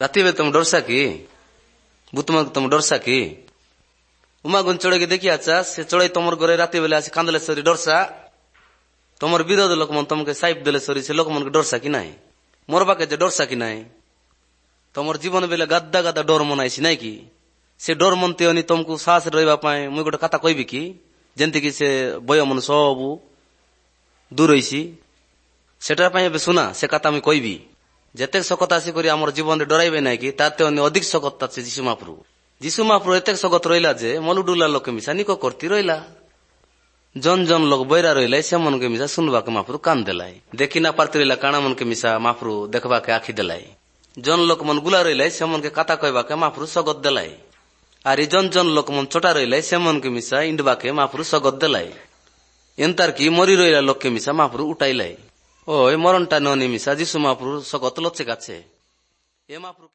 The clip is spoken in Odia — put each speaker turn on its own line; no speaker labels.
ରାତି ବେଳେ ତମେ ଡରସା କି? ଭୂତମାନଙ୍କୁ ତମେ ଡରସା କି? ଉମାଗୁନ ଚଢ଼େଇକି ଦେଖି ଆଚ୍ଛା, ସେ ଚଢ଼େଇ ତମର ଘରେ ରାତି ବେଲେ ଆସି କାନ୍ଦଲେ ସରି ଡରସା? ତମର ବିରୋଧ ଲୋକମାନେ ତମକେ ସାଇପ ଦେଲେ ସରି ସେ ଲୋକମାନଙ୍କୁ ଡରସା କି ନାହିଁ? ମୋର ପାଖେ ଯେ ଡରସା କି ନାହିଁ? ତମର ଜୀବନ ବେଲେ ଗାଦା ଗାଦା ଡର ମନାଇସି ନାଇଁ କି? ସେ ଡର ମନତେ ଅନି ତମକୁ ସାହସ ରହିବା ପାଇଁ ମୁଇଁ ଗୋଟେ କଥା କହିବି କି, ଯେମିତିକି ସେ ଭୟ ମନ ସବୁ ଦୂର ହେଇସି। ସେଟା ପାଇଁ ଏବେ ଶୁନା, ସେ କଥା ମୁଇଁ କହିବି। ଯେତେ ଶକତ ଆସିକରି ଆମର ଜୀବନରେ ଡରାଇବେ ନାଇଁ କି, ତାତେ ଅନ୍ୟ ଅଧିକ ଶକତ ଅଛି ଯୀଶୁ ମହାପ୍ରଭୁ। ଯୀଶୁ ମହାପ୍ରଭୁ ଏତେ ଶକତ ରହିଲା ଯେ ମଲୁଡୁଲା ଲୋକ ମିଶା ନିକ କରତି ରହିଲା। ଜନ ଜନ ଲୋକ ବୈରା ରହିଲା, ସେମାନଙ୍କୁ ମିଶା ଶୁଣବାକେ ମହାପ୍ରଭୁ କାନ ଦେଲାଇ। ଦେଖି ନା ପାରତି ରହିଲା କାଣା ମନକେ ମିଶା ମହାପ୍ରଭୁ ଦେଖବାକେ ଆଖି ଦେଲାଇ। ଜନ ଲୋକ ମନ ଗୁଲା ରହିଲା, ସେମାନକେ କଥା କହିବାକେ ମହାପ୍ରଭୁ ସଗତ ଦେଲାଇ। ଆରି ଜନ ଜନ ଲୋକ ମନ ଚଟା ରହିଲା, ସେମାନକେ ମିଶା ଇଣ୍ଡବାକେ ମହାପ୍ରଭୁ ସଗତ ଦେଲାଇ। ଏନ୍ତାର କି ମରି ରହିଲା ଲୋକକେ ମିଶା ମହାପ୍ରଭୁ ଉଠାଇଲାଇ। ଓ ଏ ମରଣଟା ନ ମିଶା ଯୀଶୁ ମହାପ୍ରଭୁ ସଗତ ଲଚେ କାଛେ ଏ ମହାପ୍ରଭୁ।